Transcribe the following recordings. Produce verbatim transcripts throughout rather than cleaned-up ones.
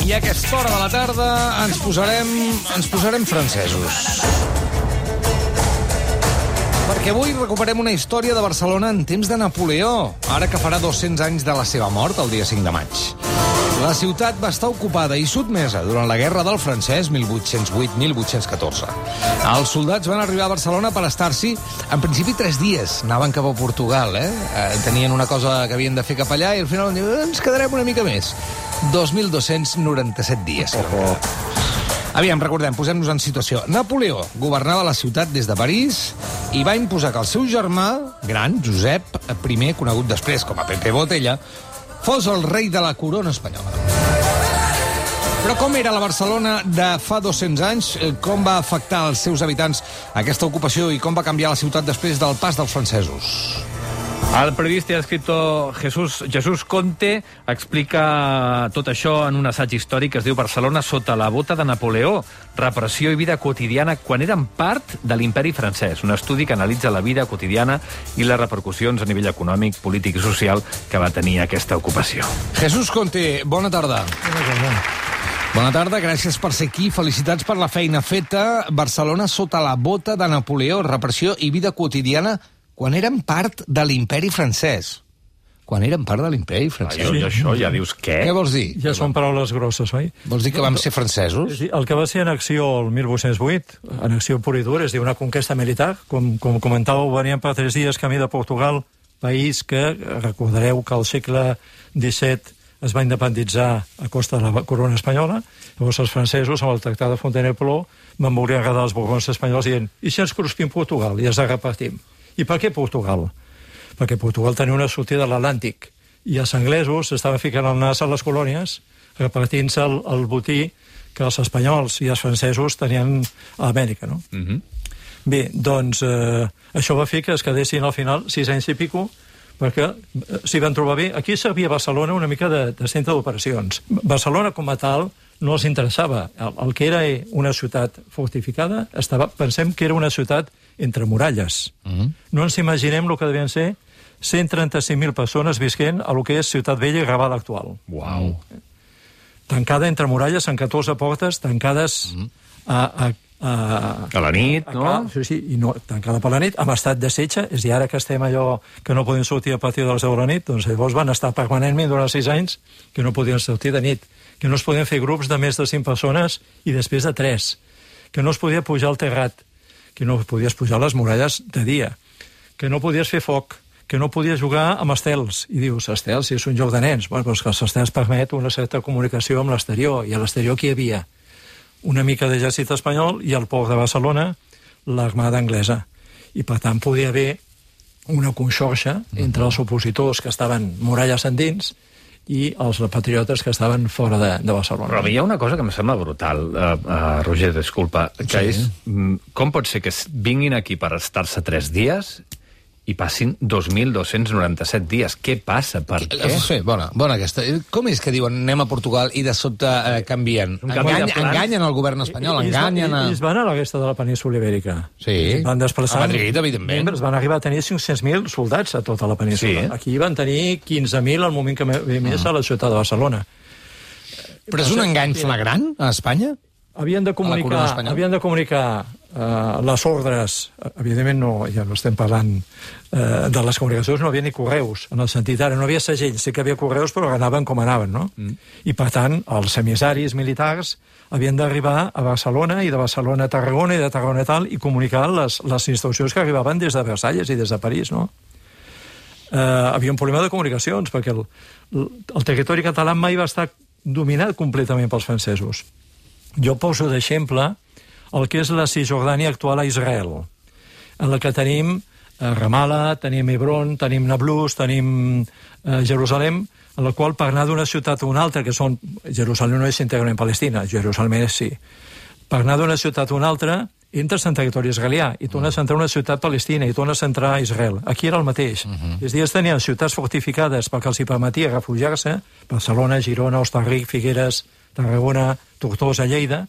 I a aquesta hora de la tarda ens posarem, ens posarem francesos. Perquè avui recuperem una història de Barcelona en temps de Napoleó, ara que farà dos-cents anys de la seva mort, el dia cinc de maig. La ciutat va estar ocupada i sotmesa durant la Guerra del Francès mil vuit-cents vuit - mil vuit-cents catorze. Els soldats van arribar a Barcelona per estar-s'hi, en principi, tres dies. Anaven cap a Portugal, eh? eh? Tenien una cosa que havien de fer cap allà i al final ens quedarem una mica més. dos mil dos-cents noranta-set dies. Oh. Aviam, recordem, posem-nos en situació. Napoleó governava la ciutat des de París i va imposar que el seu germà gran, Josep I, conegut després com a Pepe Botella, fos el rei de la corona espanyola. Però com era la Barcelona de fa dos-cents anys? Com va afectar als seus habitants aquesta ocupació i com va canviar la ciutat després del pas dels francesos? El periodista i escriptor Jesús, Jesús Conte explica tot això en un assaig històric que es diu Barcelona sota la bota de Napoleó, repressió i vida quotidiana quan eren part de l'imperi francès. Un estudi que analitza la vida quotidiana i les repercussions a nivell econòmic, polític i social que va tenir aquesta ocupació. Jesús Conte, bona tarda. Bona tarda. Bona tarda, gràcies per ser aquí. Felicitats per la feina feta. Barcelona sota la bota de Napoleó, repressió i vida quotidiana quan eren part de l'imperi francès. Quan eren part de l'imperi francès. Ai, això ja dius què? Què vols dir? Ja són paraules grosses, oi? Vols dir que vam ser francesos? El que va ser annexió el mil vuit-cents vuit, annexió pura i dura, és dir, una conquesta militar, com, com comentàveu, venien per tres dies camí de Portugal, país que, recordareu que al segle disset es va independitzar a costa de la corona espanyola. Llavors els francesos, amb el tractat de Fontainebleau, van voler agradar els borbons espanyols dient i si ens cruspim Portugal i ens la repartim? I per què Portugal? Perquè Portugal tenia una sortida de l'Atlàntic i els anglesos estaven ficant el nas a les colònies repartint-se el, el botí que els espanyols i els francesos tenien a Amèrica, no? Mm-hmm. Bé, doncs eh, això va fer que es quedessin al final sis anys i pico perquè s'hi van trobar bé. Aquí servia Barcelona una mica de, de centre d'operacions. Barcelona com a tal no els interessava. El, el que era una ciutat fortificada, estava, pensem que era una ciutat entre muralles. Mm-hmm. No ens imaginem el que devien ser cent trenta-cinc mil persones visquent a lo que és Ciutat Vella i Raval actual. Uau! Tancada entre muralles, en catorze portes, tancades mm-hmm. a, a, a... A la nit, a, no? A, sí, sí, i no, tancada per la nit, amb estat de setge, és a dir, ara que estem allò que no podem sortir a partir de les deu de la nit, doncs llavors van estar permanentment durant sis anys que no podien sortir de nit, que no es podien fer grups de més de cinc persones i després de tres, que no es podia pujar al terrat, que no podies pujar a les muralles de dia, que no podies fer foc, que no podies jugar amb estels. I dius, estels, si és un joc de nens. Bueno, doncs que els estels permet una certa comunicació amb l'exterior, i a l'exterior qui hi havia? Una mica d'exèrcit espanyol i al port de Barcelona l'armada anglesa. I per tant podia haver una conxorxa entre els opositors que estaven muralles endins i els patriotes que estaven fora de, de Barcelona. Però hi ha una cosa que em sembla brutal, uh, uh, Roger, disculpa, que sí. és com pot ser que vinguin aquí per estar-se tres dies i passin dos mil dos-cents noranta-set dies. Què passa? Per què? Sí, bona, bona aquesta. Com és que diuen anem a Portugal i de sobte eh, canvien? Engany, enganyen el govern espanyol, I, enganyen a... I es van a la resta de la península Ibèrica. Sí, van desplaçar, a Madrid, evidentment. Membres, van arribar a tenir cinc-cents mil soldats a tota la península. Sí. Aquí van tenir quinze mil al moment que ve més a la ciutat de Barcelona. Però és un engany flagrant a Espanya? Havien de comunicar, havien de comunicar uh, les ordres, evidentment no, ja no estem parlant uh, de les comunicacions, no havia ni correus, en el sentit ara, no havia segells, sí que havia correus, però anaven com anaven, no? Mm. I per tant, els emissaris militars havien d'arribar a Barcelona i de Barcelona a Tarragona i de Tarragona a tal i comunicar les, les instruccions que arribaven des de Versalles i des de París, no? Uh, havia un problema de comunicacions, perquè el, el territori català mai va estar dominat completament pels francesos. Jo poso d'exemple el que és la Cisjordània actual a Israel, en la que tenim eh, Ramallah, tenim Hebron, tenim Nablus, tenim eh, Jerusalem, en la qual per anar d'una ciutat a una altra, que són... Jerusalem no és íntegrament Palestina, Jerusalem és sí. Per anar d'una ciutat a una altra, entres en territori israelià i tornes a entrar a una ciutat palestina i tornes a entrar a Israel. Aquí era el mateix. Uh -huh. És a dir, es tenien ciutats fortificades perquè els hi permetia refugiar-se, Barcelona, Girona, Hostalric, Figueres, Tarragona, Tortosa, Lleida,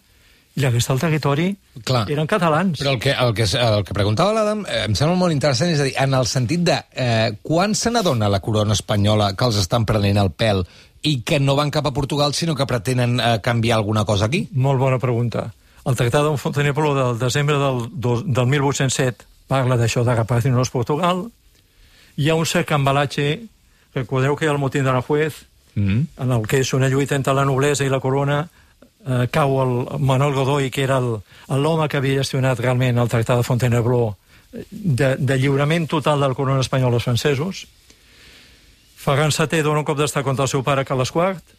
i la resta del territori Clar. eren catalans. Però el que, el que, el que preguntava l'Adam eh, em sembla molt interessant, és a dir, en el sentit de eh, quan se n'adona la corona espanyola que els estan prenent el pèl i que no van cap a Portugal, sinó que pretenen eh, canviar alguna cosa aquí? Molt bona pregunta. El Tractat de Fontainebleau del desembre del, del mil vuit-cents set parla d'això de repartir-nos Portugal. Hi ha un cert embalatge, recordeu que hi ha el motín de Aranjuez, mm. en el que és una lluita entre la noblesa i la corona, eh, cau el Manuel Godoy, que era l'home que havia gestionat realment el Tractat de Fontainebleau, de, de lliurament total del corona espanyol als francesos. Ferran setè dona un cop d'estat contra el seu pare Carles quart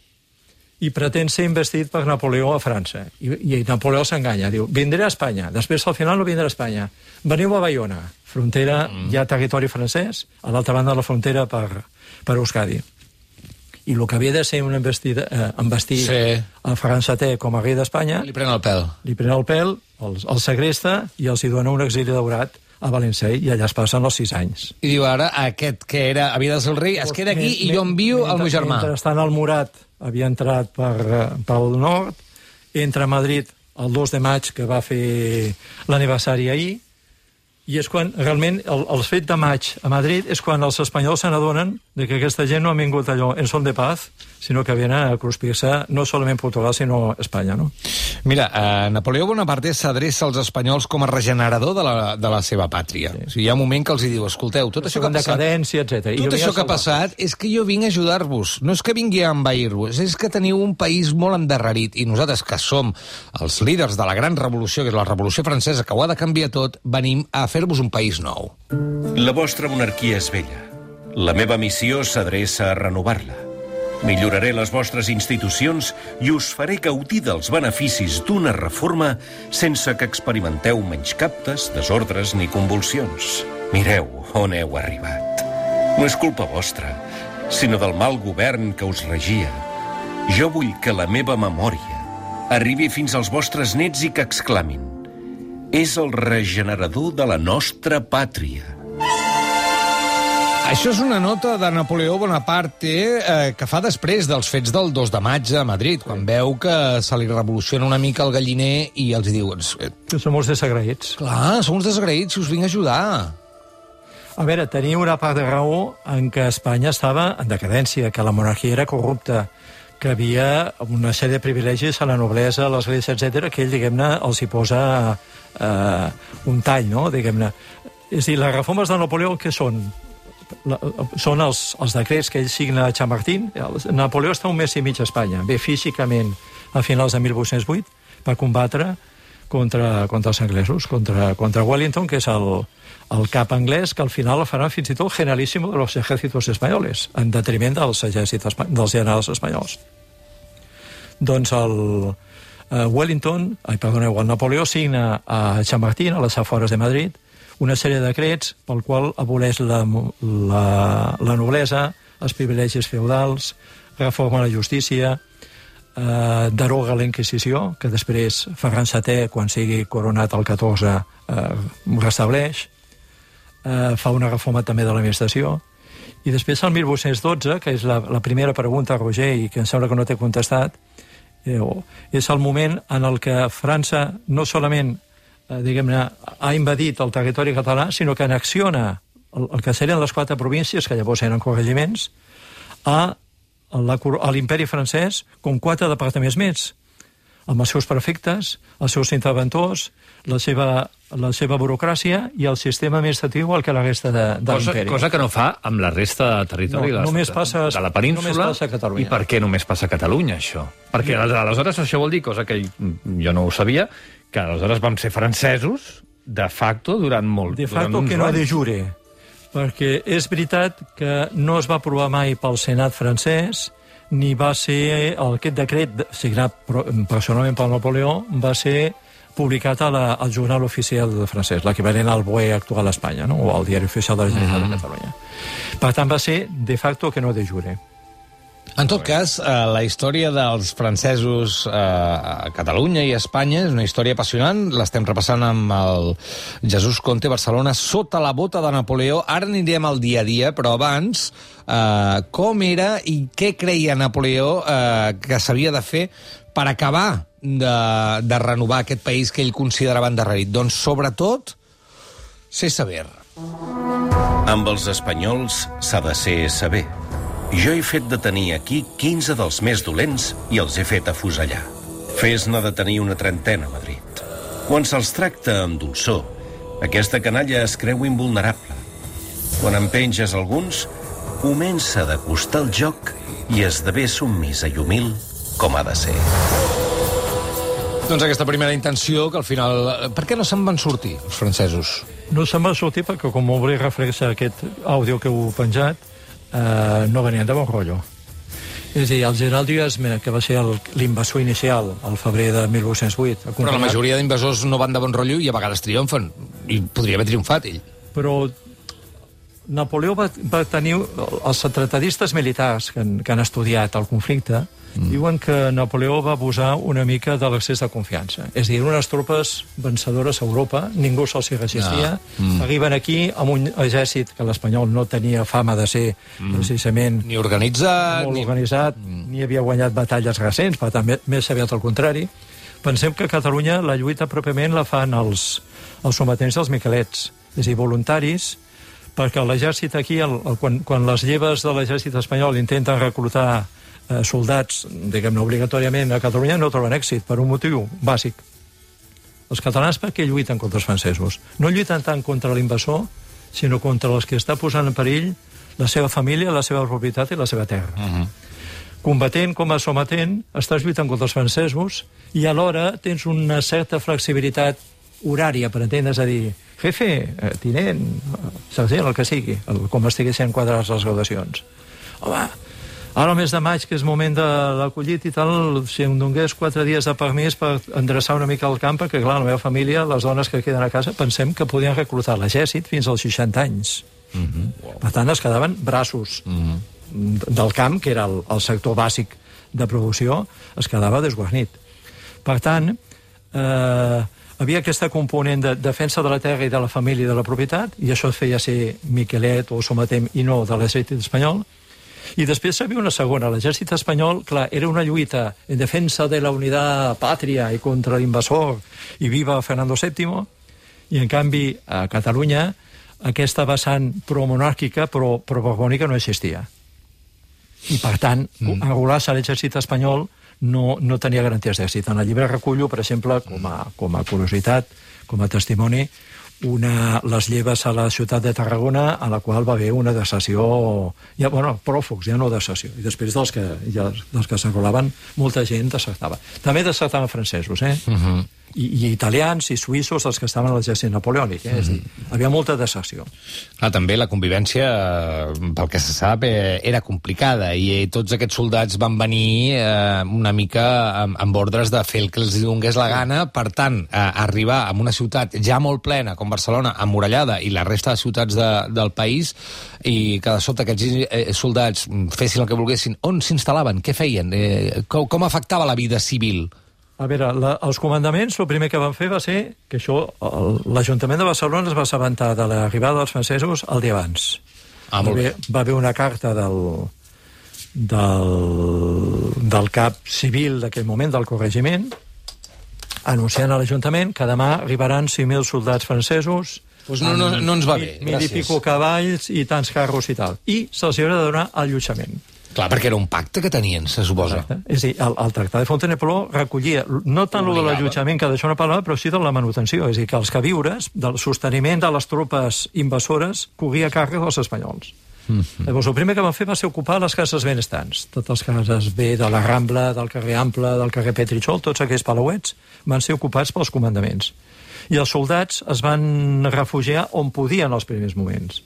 i pretén ser investit per Napoleó a França. I, i Napoleó s'enganya, diu, vindré a Espanya. Després, al final, no vindré a Espanya. Veniu a Bayona, frontera, mm. hi ha territori francès, a l'altra banda de la frontera per, per Euskadi. I el que havia de ser un investit, eh, investir sí. a Ferran setè com a rei d'Espanya... Li pren el pèl. Li pren el pèl, el, el segresta i els hi dona un exili daurat a Valencià, i allà es passen els sis anys. I diu, ara, aquest que era, havia de ser el rei, es queda aquí i jo envio el meu germà. Mentrestant, el Murat havia entrat per, pel nord, entra a Madrid el dos de maig, que va fer l'aniversari ahir, i és quan, realment, el, el fet de maig a Madrid és quan els espanyols se n'adonen de que aquesta gent no ha vingut allò en son de paz, sinó que viene a cruspir-se no solament Portugal, sinó Espanya, no? Mira, eh, Napoleó Bonaparte s'adreça als espanyols com a regenerador de la, de la seva pàtria. Sí. O sigui, hi ha un moment que els hi diu, escolteu, tot això que ha passat... decadència, etcètera. Tot això que ha passat és que jo vinc a ajudar-vos. No és que vingui a envair-vos, és que teniu un país molt endarrerit i nosaltres, que som els líders de la gran revolució, que és la Revolució Francesa, que ho ha de canviar tot, venim a fer-vos un país nou. La vostra monarquia és vella. La meva missió s'adreça a renovar-la. Milloraré les vostres institucions i us faré gaudir dels beneficis d'una reforma sense que experimenteu menyscaptes, desordres ni convulsions. Mireu on heu arribat. No és culpa vostra, sinó del mal govern que us regia. Jo vull que la meva memòria arribi fins als vostres nets i que exclamin: és el regenerador de la nostra pàtria. Això és una nota de Napoleó Bonaparte eh, que fa després dels fets del dos de maig a Madrid, quan veu que se li revoluciona una mica el galliner i els diu... Que som uns desagraïts. Clar, som uns desagraïts, si us vinc a ajudar. A veure, tenia una part de raó en què Espanya estava en decadència, que la monarquia era corrupta, que havia una sèrie de privilegis a la noblesa, a l'església, etcètera, que ell, diguem-ne, els hi posa eh, un tall, no?, diguem-ne. És a dir, les reformes de Napoleó, què són? La, són els, els decrets que ell signa a Chamartín. Napoleó està un mes i mig a Espanya, ve físicament a finals de mil vuit-cents vuit per combatre contra, contra els anglesos, contra, contra Wellington, que és el, el cap anglès, que al final el faran fins i tot generalíssimo de los ejércitos espanyoles, en detriment dels exèrcits dels generals espanyols. Doncs el uh, Wellington, ai, perdoneu, el Napoleó signa a Chamartín, a les afores de Madrid, una sèrie de decrets pel qual aboleix la, la, la noblesa, els privilegis feudals, reforma la justícia, eh, deroga la Inquisició, que després Ferran setè, quan sigui coronat el catorze, eh, restableix, eh, fa una reforma també de l'administració, i després el mil vuit-cents dotze, que és la, la primera pregunta, Roger, i que em sembla que no t'he contestat, eh, és el moment en el que França no solament diguem-ne, ha invadit el territori català, sinó que anexiona el, el que serien les quatre províncies, que llavors eren corregiments, a, la, a l'imperi francès com quatre departaments més, amb els seus prefectes, els seus interventors, la seva, la seva burocràcia i el sistema administratiu al que la resta de, de cosa, l'imperi. Cosa que no fa amb la resta de territori no, de, només passa, de la península. Només passa a Catalunya. I per què només passa a Catalunya, això? Perquè aleshores això vol dir, cosa que jo no ho sabia, que aleshores vam ser francesos de facto durant molt... De facto que no de jure, perquè és veritat que no es va aprovar mai pel Senat francès, ni va ser aquest decret signat personalment pel Napoleó, va ser publicat a la, al Jornal Oficial francès, l'equivalent al B O E actual a Espanya, no? O al Diari Oficial de la Generalitat mm. de Catalunya. Per tant, va ser de facto que no de jure. En tot cas, eh, la història dels francesos eh, a Catalunya i a Espanya és una història apassionant. L'estem repassant amb el Jesús Conte, Barcelona, sota la bota de Napoleó. Ara anirem al dia a dia, però abans, eh, com era i què creia Napoleó eh, que s'havia de fer per acabar de, de renovar aquest país que ell considerava endarrerit? Doncs, sobretot, ser sever. Amb els espanyols s'ha de ser sever. Jo he fet detenir aquí quinze dels més dolents i els he fet afusellar. Fes-ne detenir una trentena a Madrid. Quan se'ls tracta amb dolçor, aquesta canalla es creu invulnerable. Quan en penges alguns, comença de costar el joc i esdevé submisa i humil com ha de ser. Doncs aquesta primera intenció, que al final... Per què no se'n van sortir, els francesos? No se'n van sortir perquè, com m'ho volia reflexar aquest àudio que heu penjat, eh, no venien de bon rotllo. És a dir, el general Duesme, que va ser l'invasor inicial al febrer de mil vuit-cents vuit... Però la majoria d'invasors no van de bon rotllo i a vegades triomfen. I podria haver triomfat, ell. Però Napoleó va, va tenir... Els tratadistes militars que han, que han estudiat el conflicte mm. diuen que Napoleó va abusar una mica de l'excés de confiança. És a dir, unes tropes vencedores a Europa, ningú se'ls hi resistia, ah. mm. arriben aquí amb un exèrcit que l'espanyol no tenia fama de ser mm. precisament... Ni organitzat... Molt ni... organitzat, mm. ni havia guanyat batalles recents, per tant, més aviat al contrari. Pensem que a Catalunya la lluita pròpiament la fan els, els sometents dels miquelets, és a dir, voluntaris, perquè l'exèrcit aquí, el, el, quan, quan les lleves de l'exèrcit espanyol intenten reclutar eh, soldats, diguem-ne, obligatòriament a Catalunya, no troben èxit, per un motiu bàsic. Els catalans per què lluiten contra els francesos? No lluiten tant contra l'invasor, sinó contra els que està posant en perill la seva família, la seva propietat i la seva terra. Uh-huh. Combatent com a sometent, estàs lluitant contra els francesos i alhora tens una certa flexibilitat horària, per entendre's, a dir, jefe, eh, tinent, sergent, el que sigui, el, com estiguessin quadrats les gradacions. Home, ara al mes de maig, que és moment de l'acollit i tal, si em donés quatre dies de permís per endreçar una mica el camp, perquè, clar, la meva família, les dones que queden a casa, pensem que podien reclutar l'exèrcit fins als seixanta anys. Uh-huh. Per tant, es quedaven braços uh-huh. del camp, que era el, el sector bàsic de producció, es quedava desguarnit. Per tant, eh, havia aquesta component de defensa de la terra i de la família i de la propietat, i això feia ser miquelet o sometent i no de l'exèrcit espanyol. I després hi havia una segona. L'exèrcit espanyol, clar, era una lluita en defensa de la unitat pàtria i contra l'invasor i viva Fernando sèptimo, i en canvi a Catalunya aquesta vessant promonàrquica però, però borbònica no existia. I per tant, mm. enrolar-se a l'exèrcit espanyol no, no tenia garanties d'èxit. En el llibre recullo, per exemple, com a, com a curiositat, com a testimoni, una, les lleves a la ciutat de Tarragona, a la qual va haver una deserció, ja, bueno, pròfugs, ja no deserció, i després dels que, ja, dels que s'enrolaven, molta gent desertava. També desertaven francesos, eh? Uh-huh. I, i italians i suïssos, els que estaven a l'exèrcit napoleònic, eh? Uh-huh. És a dir, havia molta deserció. Ah, també la convivència, pel que se sap, eh, era complicada, i eh, tots aquests soldats van venir eh, una mica amb, amb ordres de fer el que els donés la gana, per tant, eh, arribar a una ciutat ja molt plena, com Barcelona, emmurallada, i la resta de ciutats de, del país, i que de sobte aquests eh, soldats fessin el que volguessin. On s'instal·laven? Què feien? Eh, com, com afectava la vida civil? A veure, la, els comandaments, el primer que van fer va ser que això, l'Ajuntament de Barcelona es va assabentar de l'arribada dels francesos el dia abans. Ah, molt bé. Va haver una carta del, del, del cap civil d'aquell moment, del corregiment, anunciant a l'Ajuntament que demà arribaran cinc mil soldats francesos. Pues no, no, no ens va bé, mil i pico cavalls i tants carros i tal. I se'ls haurà de donar allotjament. Clar, perquè era un pacte que tenien, se suposa. Exacte. És a dir, el, el tractat de Fontainebleau recollia no tant lo de l'allotjament, que d'això no parlava, però sí de la manutenció. És a dir, que els queviures, del sosteniment de les tropes invasores, corria a càrrec dels espanyols. Mm-hmm. Llavors, el primer que van fer va ser ocupar les cases benestants. Totes les cases B de la Rambla, del carrer Ample, del carrer Petritxol, tots aquells palauets van ser ocupats pels comandaments. I els soldats es van refugiar on podien els primers moments.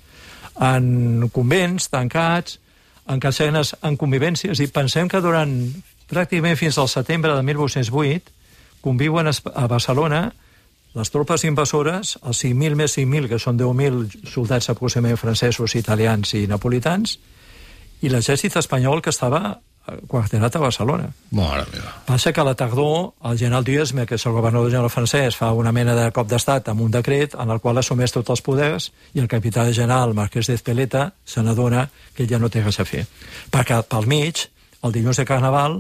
En convents, tancats, en casernes, en convivències, i pensem que durant pràcticament fins al setembre de mil vuit-cents vuit conviuen a Barcelona les tropes invasores, els cinc mil més cinc mil, que són deu mil soldats aproximadament francesos, italians i napolitans, i l'exèrcit espanyol que estava quarterat a Barcelona. Mare meva. Passa que a la tardor el general Duesme, que és el governador general francès, fa una mena de cop d'estat amb un decret en el qual assumeix tots els poders, i el capità general Marquès d'Ezpeleta se n'adona que ell ja no té res a fer. Perquè pel mig, el dilluns de Carnaval,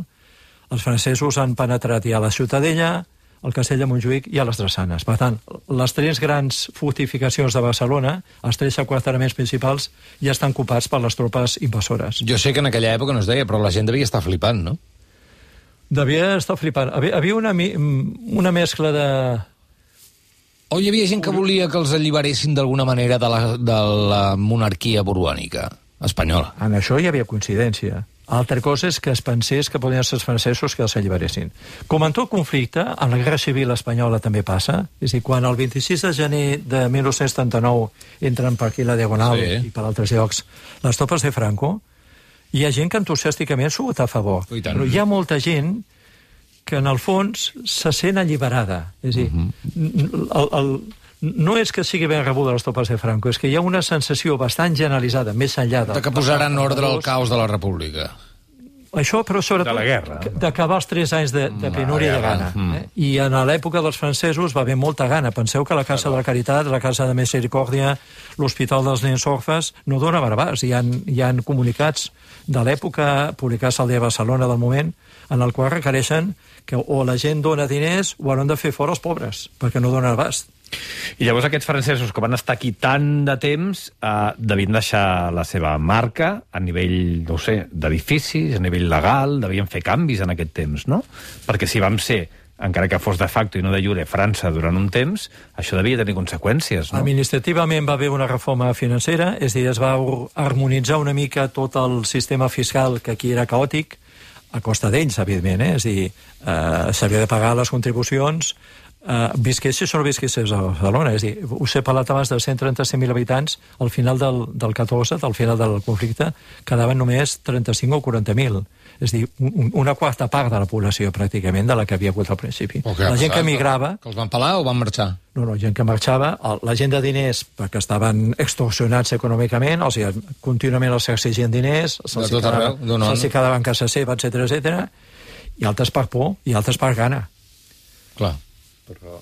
els francesos han penetrat ja a la Ciutadella, el castell de Montjuïc i a les Drassanes. Per tant, les tres grans fortificacions de Barcelona, els tres aquarteraments principals, ja estan ocupats per les tropes invasores. Jo sé que en aquella època no es deia, però la gent devia estar flipant, no? Devia estar flipant. Havia una, una mescla de... O hi havia gent que volia que els alliberessin d'alguna manera de la, de la monarquia borbònica espanyola? En això hi havia coincidència. Altra cosa és que es pensés que podien ser els francesos que els alliberessin. Com en tot conflicte, en la Guerra Civil espanyola també passa. És a dir, quan el vint-i-sis de gener de mil nou-cents setanta-nou entren per aquí la Diagonal sí. i per altres llocs les tropes de Franco, hi ha gent que entusiàsticament s'ho vota a favor. Però hi ha molta gent que en el fons se sent alliberada. És a dir, uh-huh. el, el, no és que sigui ben rebuda les tropes de Franco, és que hi ha una sensació bastant generalitzada, més enllà de... De que posaran ordre al caos de la República. Això, però sobretot... De la guerra. D'acabar els tres anys de, de penúria i de gana. Eh? I en l'època dels francesos va haver molta gana. Penseu que la Casa de la Caritat, la Casa de Misericòrdia, l'Hospital dels Nens Orfes, no dona barbars. Hi ha, hi ha comunicats de l'època, publicats al dia de Barcelona del moment, en el qual requereixen que o la gent dona diners o hauran de fer fora els pobres, perquè no donen abast. I llavors aquests francesos que van estar aquí tant de temps eh, devien deixar la seva marca a nivell, no ho sé, d'edificis, a nivell legal, devien fer canvis en aquest temps, no? Perquè si vam ser, encara que fos de facto i no de jure, França durant un temps, això devia tenir conseqüències, no? Administrativament va haver una reforma financera, és a dir, es va harmonitzar una mica tot el sistema fiscal, que aquí era caòtic, a costa d'ells, evidentment, eh? És a dir, eh, s'havia de pagar les contribucions, Uh, visquessis o no visquessis a Barcelona. És a dir, us he parlat abans de cent trenta-cinc mil habitants, al final del, del catorze, al final del conflicte, quedaven només trenta-cinc o quaranta mil. És a dir, un, una quarta part de la població, pràcticament, de la que havia hagut al principi. Okay, la gent que emigrava... Que els van pelar o van marxar? No, no, gent que marxava, la gent de diners, perquè estaven extorsionats econòmicament, o sigui, contínuament els exigien diners, se'ls quedava, se quedaven a casa seva, etcètera, etcètera, i altres per por, i altres per gana. Clar. Però...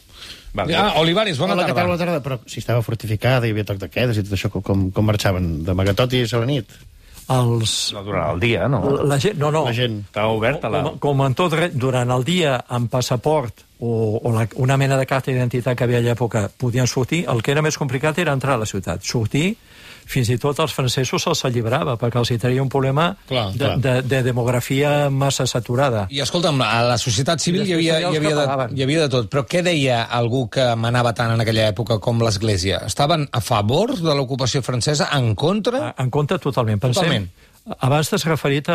Vale. Ah, Olivares, bona tarda. Bona tarda, però si estava fortificada, hi havia toc de quedes i tot això, com, com marxaven? D'amagatot i a la nit? Els... No, durant el dia, no? La gent, no, no. La gent. Estava oberta la... Com, com en tot, durant el dia, amb passaport o, o la, una mena de carta d'identitat que havia a l'època, podien sortir. El que era més complicat era entrar a la ciutat. Sortir, fins i tot als francesos se'ls alliberava, perquè els hi tenia un problema clar, de, clar. De, de demografia massa saturada. I escolta'm, a la societat civil hi havia, hi, havia de, hi havia de tot, però què deia algú que manava tant en aquella època com l'Església? Estaven a favor de l'ocupació francesa, en contra? En contra totalment. Pensem, totalment. Abans t'has referit a,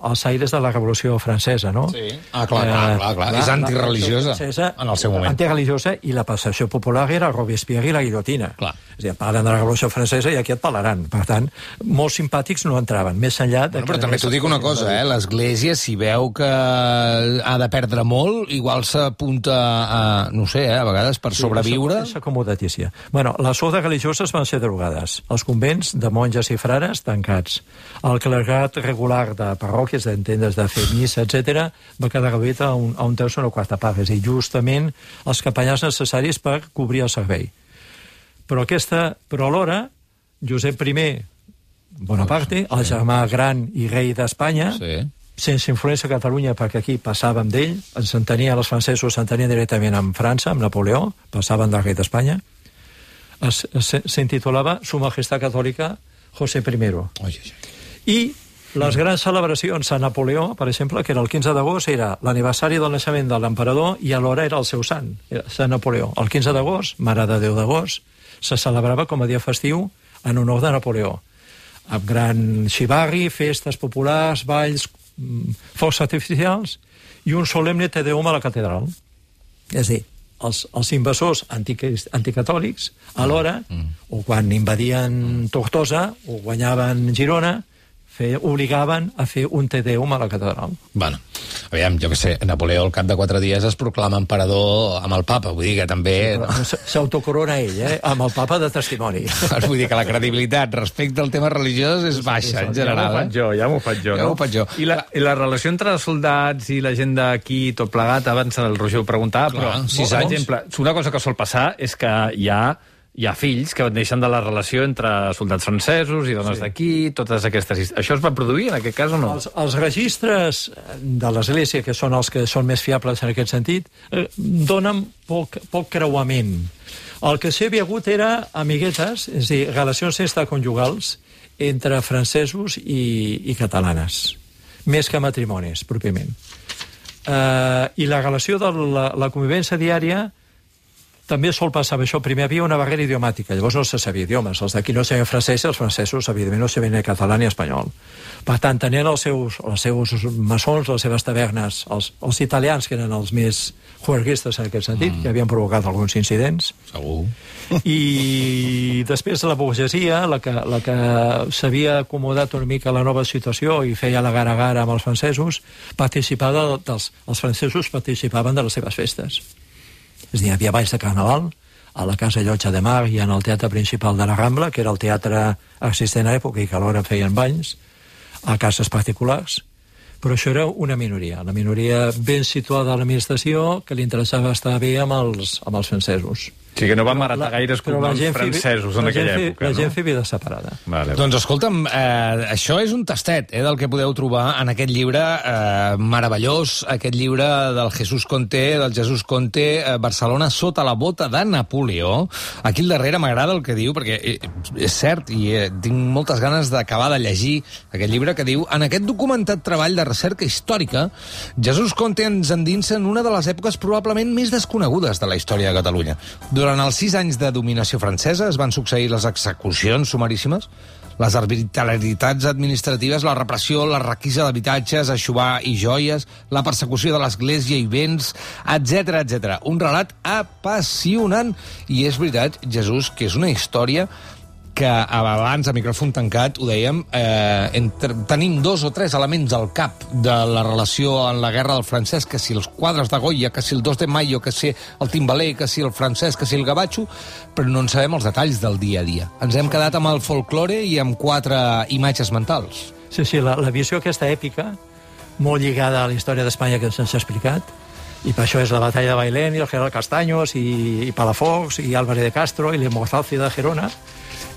als aires de la Revolució Francesa, no? Sí. Ah, clar, clar, clar, clar. Eh, és antireligiosa en el seu moment. Antireligiosa, i la passació popular era Robespierre i la guillotina. Clar. És a dir, parlen de la Revolució Francesa i aquí et parlaran. Per tant, molts simpàtics no entraven, més enllà... De bueno, però també t'ho dic una cosa, eh? L'Església, si veu que ha de perdre molt, igual s'apunta a, no sé, eh, a vegades per sí, sobreviure... És acomodatícia. Bueno, les ordes religioses van ser derogades. Els convents de monges i frares tancats. El clergat regular de parròquies, d'entendes de fer missa, etcètera, va quedar reduït a un, a un terç o una quarta part. És a dir, justament els capellans necessaris per cobrir el servei. Però aquesta, però alhora, Josep I Bonaparte, el germà gran i rei d'Espanya, sí. sense influència a Catalunya, perquè aquí passàvem d'ell, ens entenia, els francesos s'entenien directament amb França, amb Napoleó, passaven del rei d'Espanya, s'intitulava Su Majestat Catòlica José I. Oi, oi, oi. I les grans celebracions a Napoleó, per exemple, que era el quinze d'agost, era l'aniversari del naixement de l'emperador i alhora era el seu sant, era Sant Napoleó. El quinze d'agost, Mare de Déu d'agost, se celebrava com a dia festiu en honor de Napoleó. Amb gran xivarri, festes populars, balls, focs artificials i un solemne Te Deum a la catedral. És a dir, els, els invasors anticatòlics, alhora, mm. o quan invadien Tortosa o guanyaven Girona, Fe, obligaven a fer un Te Deum a la catedral. Bueno, aviam, jo què sé, Napoleó al cap de quatre dies es proclama emperador amb el papa, vull dir que també... Sí, s'autocorona ell, eh? Amb el papa de testimoni. Vull dir que la credibilitat respecte al tema religiós és baixa, en general. Ja m'ho faig jo, ja m'ho faig jo. Ja m'ho faig jo. I la, I la relació entre els soldats i la gent d'aquí, tot plegat, abans el Roger ho preguntava, però, sis anys. Per exemple, una cosa que sol passar és que hi ha hi ha fills que neixen de la relació entre soldats francesos i dones sí. d'aquí, totes aquestes... Això es va produir, en aquest cas, o no? Els, els registres de l'Església, que són els que són més fiables en aquest sentit, eh, donen poc, poc creuament. El que sí havia hagut era amiguetes, és a dir, relacions extraconjugals entre francesos i, i catalanes, més que matrimonis, pròpiament. Eh, I la relació de la, la convivència diària també sol passar això. Primer havia una barrera idiomàtica, llavors no se sabia idiomes. Els d'aquí no sabien francès, els francesos, evidentment, no sabien ni català ni espanyol. Per tant, tenien els seus, els seus maçons, les seves tavernes, els, els italians, que eren els més juerguistes en aquest sentit, mm. que havien provocat alguns incidents. Segur. I després la burgesia, la que, la que s'havia acomodat una mica a la nova situació i feia la gara-gara amb els francesos, participava dels, els francesos participaven de les seves festes. És a dir, hi havia balls de carnaval a la Casa Llotja de Mar i en el teatre principal de la Rambla, que era el teatre existent a l'època i que alhora feien balls a cases particulars, però això era una minoria, la minoria ben situada a l'administració que li interessava estar bé amb els, amb els francesos. O sigui que no va maretar gaires cognoms francesos en aquella fi, època, la no? gent feia vida separada. Vale. Doncs escolta'm, eh, això és un tastet eh, del que podeu trobar en aquest llibre eh, meravellós, aquest llibre del Jesús Conté, del Jesús Conté, eh, Barcelona sota la bota de Napoleó. Aquí al darrere m'agrada el que diu, perquè eh, és cert, i eh, tinc moltes ganes d'acabar de llegir aquest llibre que diu: en aquest documentat treball de recerca històrica, Jesús Conté ens endinsa en una de les èpoques probablement més desconegudes de la història de Catalunya. Durant els sis anys de dominació francesa es van succeir les execucions sumaríssimes, les arbitrarietats administratives, la repressió, la requisa d'habitatges, aixovar i joies, la persecució de l'església i béns, etcètera, etcètera. Un relat apassionant. I és veritat, Jesús, que és una història que abans, a micròfon tancat, ho dèiem, eh, entre, tenim dos o tres elements al cap de la relació en la guerra del francès, que si els quadres de Goya, que si el dos de mayo, que si el timbaler, que si el francès, que si el gavatxo, però no en sabem els detalls del dia a dia. Ens hem quedat amb el folklore i amb quatre imatges mentals. Sí, sí, la, la visió aquesta èpica, molt lligada a la història d'Espanya que se'ns ha explicat, i per això és la batalla de Bailén i el general Castaños i, i Palafox i Álvarez de Castro i l'Hemozalci de Gerona.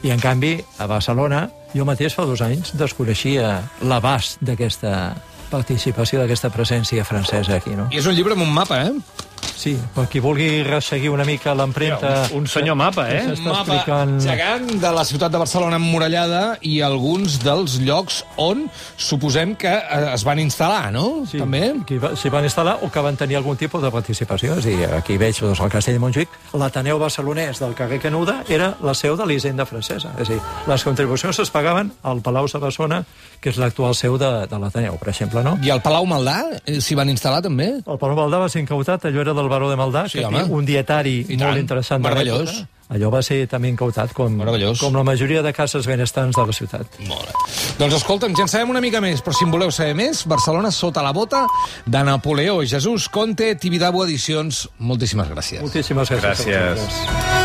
I, en canvi, a Barcelona, jo mateix fa dos anys desconeixia l'abast d'aquesta participació, d'aquesta presència francesa aquí, no? I és un llibre amb un mapa, eh? Sí, per qui vulgui resseguir una mica l'empremta... Un, un senyor mapa, eh? Un mapa explicant... gegant de la ciutat de Barcelona emmurallada i alguns dels llocs on suposem que es van instal·lar, no? Sí, també? que s'hi van instal·lar o que van tenir algun tipus de participació. És a dir, aquí veig doncs, el Castell de Montjuïc, l'Ateneu barcelonès del carrer Canuda era la seu de l'Hisenda francesa. És a dir, les contribucions es pagaven al Palau Savasona, que és l'actual seu de, de l'Ateneu, per exemple, no? I al Palau Maldà s'hi van instal·lar, també? El Palau Maldà va ser incautat, allò era del baró de Maldà, sí, que home. té un dietari I molt tant. interessant de Meravellós. l'època. Allò va ser també incautat, com, com la majoria de cases benestants de la ciutat. Molt bé. Doncs escolta'm, ja en sabem una mica més, però si en voleu saber més, Barcelona sota la bota de Napoleó. Jesús Conté, Tibidabo Edicions, moltíssimes gràcies. Moltíssimes gràcies. Gràcies.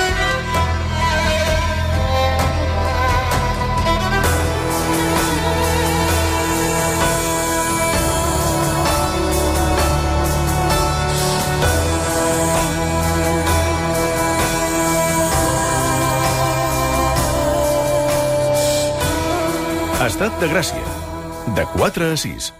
Estat de Gràcia, de quatre a sis.